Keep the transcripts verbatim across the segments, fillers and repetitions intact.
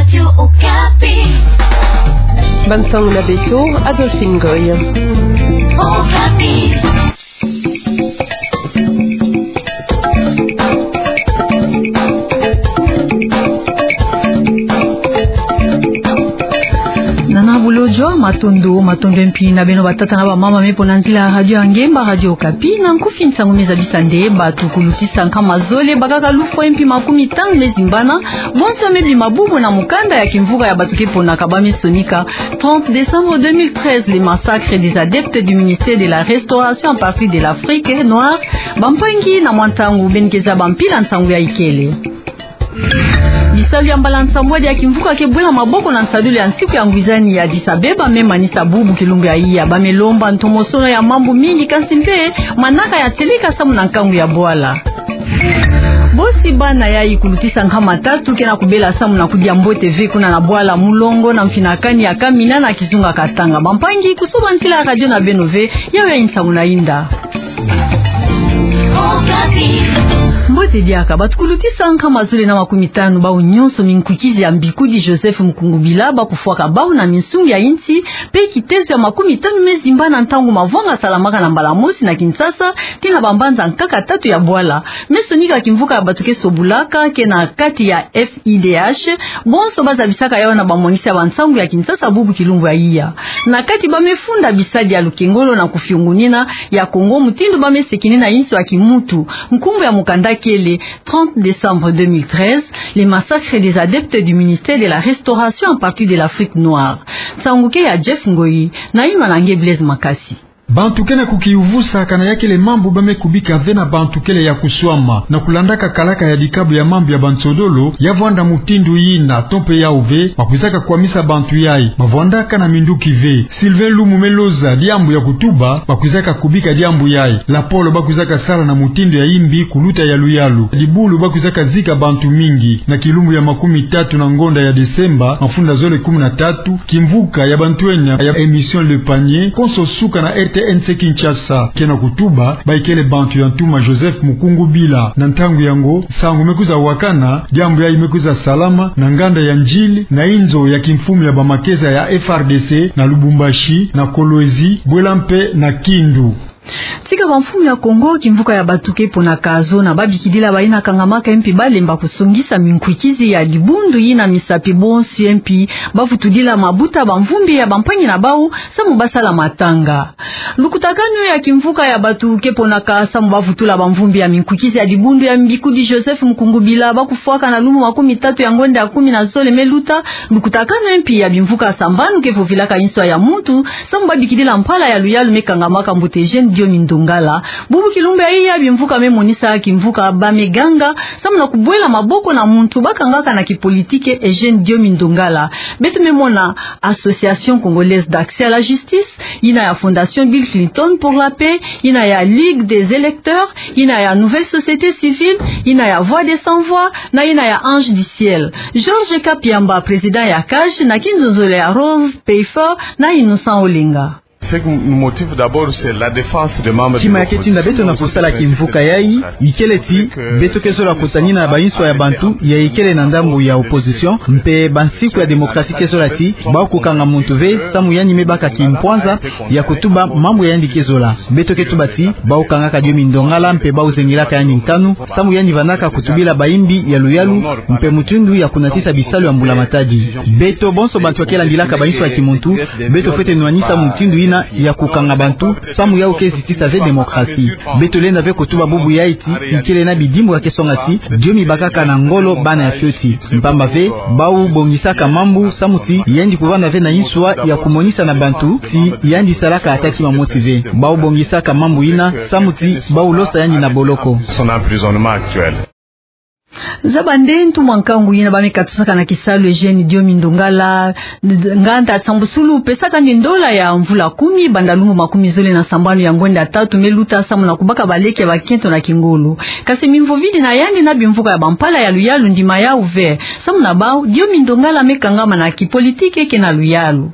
Radio Okapi. Bansangu na beto, Adolphine Goy. Okapi. Nana bulojo, matondo, matondo mpi na beno batata na bamama me pona nzila ya radio ya ngemba, Radio Okapi. Na nkufi, nsangu me zabisa nde batu kulutisa nkama zole bakaka lufwa mpi makumi tanu me zimbana, bonso me bima bubu na mukanda ya kimvuka ya batu ke ponaka ba me sonika trente décembre deux mille treize, les massacres des adeptes du ministère de la Restauration à partir de l'Afrique noire. Bampangi na mwa ntangu beno ke zaba mpila nsangu yayi kele. Bisalu ya mbala nsambwadi ya kimvuka ke bwela maboko na nsadulu ya nsiku ya ngwizani ya Addis Abeba me manisa bubu kilumbu ya iya. Ba me lomba ntomosono ya mambu mingi, kansi mpe manaka ya teleka samu na nkangu ya bwala. Bosi bana yayi kulutisa nkama tatu ke na kubela samu na kudia mbote ve kuna na bwala Mulongo na mfinakani ya Kamina na kizunga Katanga. Bampangi, kusoba ntila ya radio na beno ve, yawe ya nsangu na inda. Mbote diaka. Batu kulutisa nkama zole na makumi tanu bau nyonso minkwikizi ya mbikudi Joseph Mukungubila ba kufwaka bau na minsungi ya insi, mpe kitezo ya makumi tanu me zimbana ntangu mavwanga salamaka na mbala mosi na Kinshasa, tii na bambanza nkaka tatu ya bwala. Me sonika kimvuka ya batu ke sobulaka ke na kati ya F I D H, bonso ba zabisaka yawu na bamwangisi ya bansangu ya Kinshasa bubu kilumbu ya iya. Na kati ba me funda bisadi ya lukengolo na kufiungunina ya Kongo, mutindu ba me sekinina inso ya kimuntu. Nkumbu ya mukanda kele trente décembre deux mille treize, les massacres des adeptes du ministère de la Restauration à partir de l'Afrique noire. Nsangu ke ya Jeff Ngoyi, na inwa na nge Blaise Makasi. Bantu ke na kukiyuvusa kana ya kele mambu ba me kubika ve na bantu kele ya kuswama. Na kulandaka kalaka ya dikabu ya mambu ya bansodolo, ya vwanda mutindu yina, to mpe yawu ve, ba kwizaka kwamisa bantu yayi. Ba vwandaka na minduki ve. Sylvain Lumu me loza diambu ya kutuba, ba kwizaka kubika diambu yayi. Lapolo ba kwizaka sala na mutindu ya imbi kuluta ya luyalu. Dibulu ba kwizaka zika bantu mingi. Na kilumbu ya makumi tatu na ngonda ya Desemba, mafunda zole kumi na tatu, kimvuka ya bantwenya ya émission Le Panier, konso suka na R T N C Kinshasa. Ke na kutuba, bayi kele bantu ya ntuma Joseph Mukungubila. Na ntangu yango, nsangu me kwiza wakana, diambu yayi me kwiza salama na nganda ya Ndjili, na inzo ya kimfumu ya bamakesa ya F R D C, na Lubumbashi, na Kolwezi, bwela mpe na Kindu. Tika bamfumu ya Kongo, kimvuka ya batu ke ponaka zona, babikidila bayina kangamaka mpi balemba kusongisa minkwikizi ya dibundu yina misapi bonso mpi bavutudila mabuta bamvumbi ya bampangi na bau, samu basala matanga. Lukutakanu ya kimvuka ya batu ke ponaka samu bavutula bamvumbi ya minkwikizi ya dibundu ya mbikudi Joseph Mukungubila, ba kufwaka na lumbu makumi tatu ya ngonda ya kumi na zole me luta. Lukutakanu mpi ya bimvuka sambanu ke vovilaka inso ya muntu, samu babikidila mpala ya luyalu me kangamaka mbote Eugène Diomi Ndongala. Bubu kilumbu ya iya bimvuka me monisa kimvuka ba me ganga, samu na kubwela maboko na muntu ba kangaka na kipolitike Eugène Diomi Ndongala. Beto me mona Association Congolaise d'Accès à la Justice, yina ya Fondation Bill Clinton pour la Paix, yina ya Ligue des Électeurs, yina ya Nouvelle Société Civile, yina ya Voix des Sans Voix, na yina ya Ange du Ciel. Georges Kapiamba, président ya CAJ, na kinzonzolo ya Rose Peyfor na Innocent Olenga. Ce qui nous motive d'abord, c'est la défense des membres de l'opposition. Tima ya ke tinda beto na kusala kimvuka yayi, ikele ti beto ke zola kutanina na bainso ya bantu ya ikele na ndambu ya opposition, mpe bansiku ya démocratie ke zola ti bau kukanga muntu ve, samu yandi me baka kimpwanza ya kutuba mambu ya yandi ke zola. Beto ke tuba ti bau kangaka Diomi Ndongala mpe bau zengilaka yandi nkanu, samu yandi vandaka kutubila baimbi ya luyalu, mpe mutindu ya kunatisa bisalu ya Mbula Matadi. Beto bonso bantu ya ke landilaka bainso ya kimuntu, beto fwete nwanisa mutindu yina ya kukanga bantu, samu yau ke zitisa ve démocratie. Beto lenda ve kutuba bubu yayi ti ikele na bidimbu ya ke songa ti Diomi bakaka na ngolo bana ya fioti. Mpamba ve, bau bongisaka mambu, samu ti yandi kuvanda ve na inswa ya kumonisa na bantu ti yandi salaka ata kima mosi ve. Bau bongisaka mambu yina, samu ti bau losa yandi na boloko. Son emprisonnement actuel. Zaba nde ntumwa nkangu yina ba me katusaka na kisalu Eugène Diomi Ndongala, nganda sambusulu pesaka nde ndola ya mvula kumi, banda lumbu makumi zole na sambanu ya ngonda tatu me luta, samu na kubaka baleke ya bakento na kingolo. Kasi mimvovidi na yandi na bimvuka ya bampala ya luyalu ndima yau ve, samu na bau Diomi Ndongala me kangama na kipolitike ke na luyalu.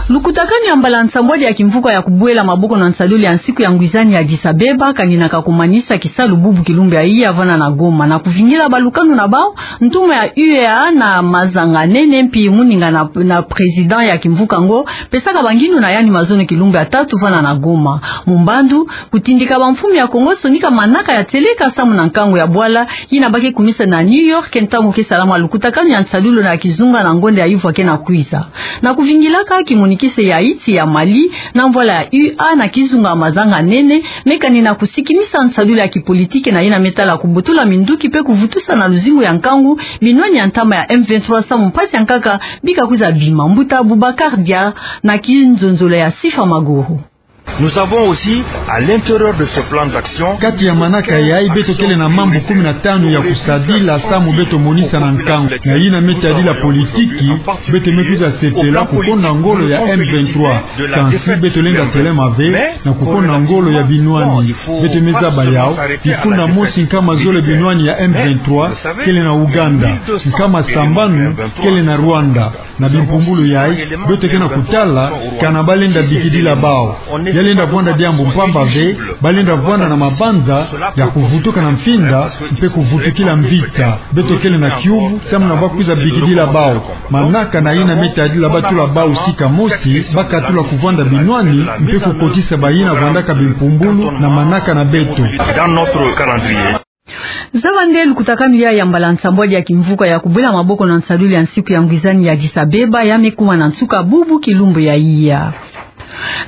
Lukutakanu ya mbala nsambwadi ya kimvuka ya kubwela maboko na nsalulu ya nsiku ya ngwizani ya Addis Abeba, kanina ka kumanisa kisalu bubu kilumbu ya iya vana na Goma. Na kuvingila balukanu na bau, ntumwa ya U E A na mazanga nene mpi muninga na, na président ya kimvuka ngo, pesaka banginu na yandi mazono kilumbu ya tatu vana na Goma. Mu mbandu, kutindika bamfumu ya Kongo sonika manaka ya tieleka samu na nkangu ya bwala, yina ba ke kumisa na New York, ntangu ke salama lukutakanu ya nsalulu na kizunga na ngonda ya ivwa ke na kwiza. Na kuvingilaka kimonikise ya iti ya Mali, na mvwala ya U A na kizunga mazanga nene, me kanina kusikimisa nsalulu ya kipolitiki na yina me tala kubutula minduki mpe kuvutusa na luzingu ya nkangu, binwani ya ntama ya M vingt-trois samu mpasi ya nkaka, bika kwiza bima. Mbuta Boubacar Dia, na kinzonzolo ya Sifa Maguru. Nous avons aussi, à l'intérieur de ce plan d'action, kati ya manaka yayi beto kele na mambu kumi na tanu ya kusadila samu beto monisa na nkangu. Na yina me tadila politiki, beto me kwiza sepela kukonda ngolo ya M vingt-trois. Kansi beto lenda telema ve na kukonda ngolo ya binwani. Beto me zaba yau, kifunda mosi nkama zole binwani ya M vingt-trois kele na Ouganda, nkama sambanu kele na Rwanda. Na bimpumbulu yayi, beto ke na kutala kana balenda bikidila bau. Ya lenda vwanda diambu mpamba ve, balenda vwanda na mabanza ya kuvutuka na mfinda, mpe kuvutukila mvita. Beto kele na kiuvu samu na ba kwiza bikidila bau. Manaka na yina me tadila batula bau sika mosi, ba katula kuvwanda binwani, mpe kukotisa bayina vwandaka bimpumbulu na manaka na beto. Dans notre calendrier. Zaba nde lukutakanu yayi ya mbala nsambwadi ya kimvuka ya kubwela maboko na nsalulu ya nsiku ya ngwizani ya Addis Abeba, ya me kuma na nsuka bubu kilumbu ya iya.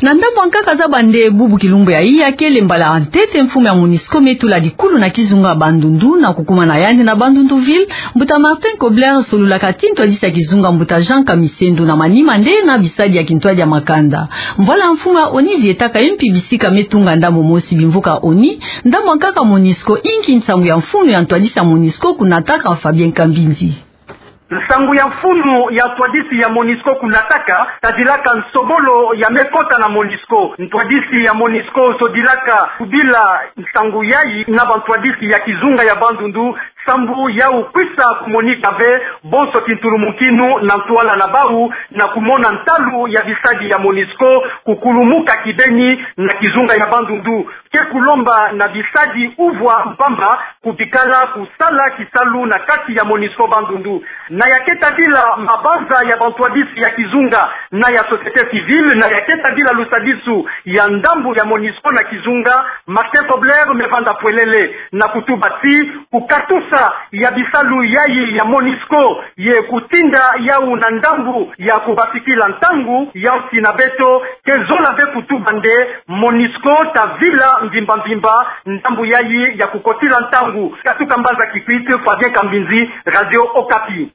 Na ndambu ya nkaka, zaba nde bubu kilumbu ya iya kele mbala ya ntete mfumu ya MONUSCO me tula dikulu na kizunga Bandundu, na kukuma na yandi na Bandundu ville, mbuta Martin Kobler solulaka ti ntwadisi ya kizunga, mbuta Jean Kamisendu, na manima nde na bisadi ya kintwadi ya makanda. Mvwala ya mfumu ya ONU zietaka ye mpi bisika me tunga ndambu mosi bimvuka ONU, ndambu ya nkaka MONUSCO, inki nsangu ya mfunu ya ntwadisi ya MONUSCO kunataka? Fabien Kambinzi. Nsangu ya mfunu ya ntwadisi ya MONUSCO kunataka, tadilaka nsobolo ya me kota na MONUSCO. Ntwadisi ya MONUSCO sodilaka kubila nsangu yayi na bantwadisi ya kizunga ya Bandundu, sambu yau kwisa kumonika ve bonso kintulumukinu na ntwala na bau, na kumona ntalu ya bisadi ya MONUSCO kukulumuka kibeni na kizunga ya Bandundu. Ke kulomba na bisadi uvwa mpamba kubikala kusala kisalu na kati ya MONUSCO Bandundu. Na ya ke tadila mabanza ya bantwadisi ya kizunga na ya société civile, na ya ke tadila lusadisu ya ndambu ya MONUSCO na kizunga, Martin Kobler me vanda pwelele na kutuba ti kukatusa ya bisalu yayi ya MONUSCO ye kutinda yau na ndambu ya kubasikila ntangu, yau ti na beto ke zola ve kutuba nde MONUSCO tavila mvimba mvimba ndambu yayi ya kukotila ntangu. Katuka mbanza Kikwit, Fabien Kambinzi, Radio Okapi.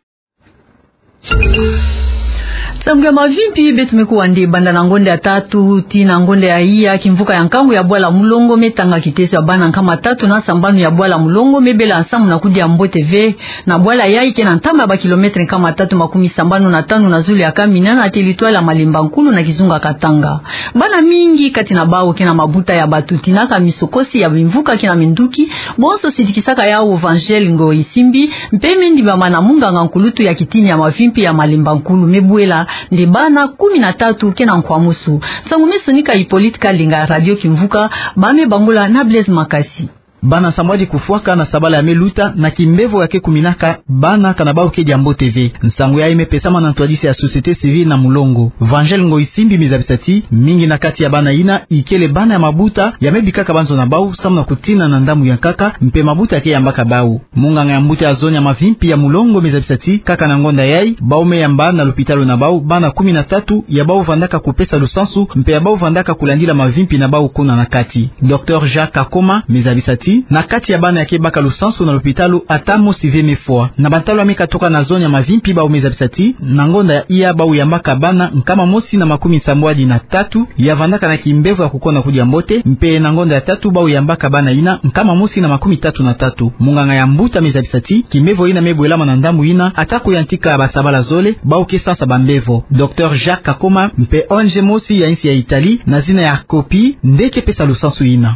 Nsangu ya mavimpi beto me kuwa nde banda na ngonda ya tatu tii na ngonda ya iya, kimvuka ya nkangu ya bwala mulongo me tanga kiteso ya bana nkama tatu na sambanu ya bwala mulongo me bela nsamu na kudia mbote ve. Na bwala yayi ke na ntama ya ba kilomètre nkama tatu makumi sambanu na tanu na zulu ya Kamina, na territoire ya Malemba Nkulu na kizunga Katanga. Bana mingi kati na bau ke na mabuta ya bato tinaka misokosi ya bimvuka ke na minduki, bonso sidikisaka yau Vangel Ngoyi Simbi, mpe me ndimbama na munganga nkulutu ya kitini ya mavimpi ya Malemba Nkulu me bwela nde bana kumi na tatu ke na nkwamusu. Nsangu me sonika Hippolyte Kalinga, Radio Kimvuka, ba me bangula na Blaise Makasi. Bana nsambwadi kufwaka na sabala ya me luta, na kimbevo ya ke kuminaka bana kana bau ke dia mbote ve. Nsangu yayi me pesama na ntwadisi ya société civile na mulongo. Vangel Ngoyi Simbi me zabisa ti mingi na kati ya bana yina ikele bana ya mabuta ya me bikaka banzo na bau samu na kutina na ndambu ya nkaka, mpe mabuta ya ke yambaka bau. Munganga ya mbuta ya zone ya mavimpi ya mulongo me zabisa ti kaka na ngonda yayi, bau me yamba na lupitalu na bau bana kumi na tatu ya bau vandaka kupesa lusansu, mpe ya bau vandaka kulandila mavimpi na bau kuna na kati. Docteur Jacques Kakoma me zabisa ti na kati ya bana ya ke baka lusansu na lupitalu, ata mosi ve me fwa. Na bantalu ya me katuka na zone ya mavimpi, bau me zabisa ti na ngonda ya iya bau yambaka bana nkama mosi na makumi sambwadi na tatu ya vandaka na kimbevo ya kukosa kudia mbote, mpe na ngonda ya tatu bau yambaka bana yina nkama mosi na makumi tatu na tatu. Munganga ya mbuta me zabisa ti kimbevo yina me bwelama na ndambu yina, ata kuyantika basabala zole, bau ke sansa bambevo. Docteur Jacques Kakoma mpe O N G mosi ya insi ya Italie na zina ya COPI nde ke pesa lusansu yina.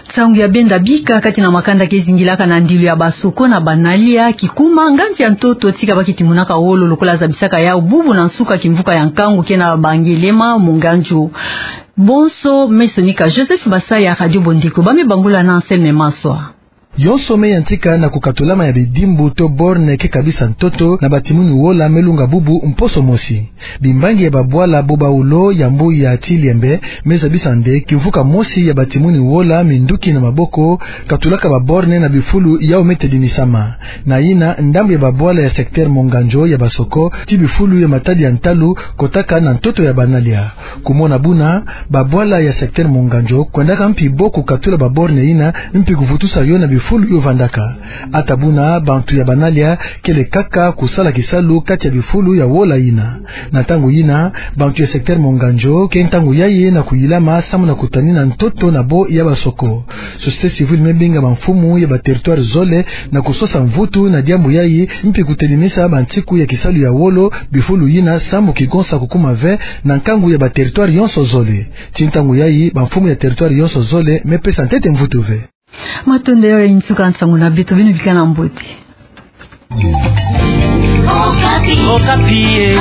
Nsangu ya benda bika. Kati na makanda ke zingilaka na ndilu ya basoko na banalia, kikuma nganzi ya ntoto tika ba kitimunaka wolo lokola zabisaka yau bubu na nsuka kimvuka ya nkangu ke na Bangelema Monganjo. Bonso, me sonika Joseph Basaya, Radio Bondeko, ba me bangula na Anselme Maswa. Yonso me yantika na kukatulama ya bidimbu to borne ke kabisa ntoto na batimuni wola me lunga bubu mposo mosi. Bimbangi ya babwala bo bawulo ya mbu ya Tiliembe me zabisa nde kimvuka mosi ya batimuni wola minduki na maboko katulaka baborne na bifulu yau me tedimisama. Na yina, ndambu ya babwala ya secteur Monganjo ya basoko ti bifulu ya matadi ya ntalu kotaka na ntoto ya banalia. Kumona buna, babwala ya secteur Monganjo kwendaka mpi bo kukatula baborne yina mpi kuvutusa yo na bifulu yo vandaka. Ata buna, bantu ya banalia kele kaka kusala kisalu kati ya bifulu ya wola yina. Na ntangu yina, bantu ya secteur Monganjo ke ntangu yayi na kuyilama samu na kutanina ntoto na bo ya basoko. Société civile me binga bamfumu ya baterritoire zole na kusosa mvutu na diambu yayi mpi kutelimisa bantiku ya kisalu ya wolo bifulu yina samu kigonsa kukuma ve na nkangu ya baterritoire yonso zole. Ti ntangu yayi, bamfumu ya territoire yonso zole me pesa ntete mvutu ve. Matondo, yayi nsuka nsangu na beto, beno bikana mbote. Okapi. Okapi, eh.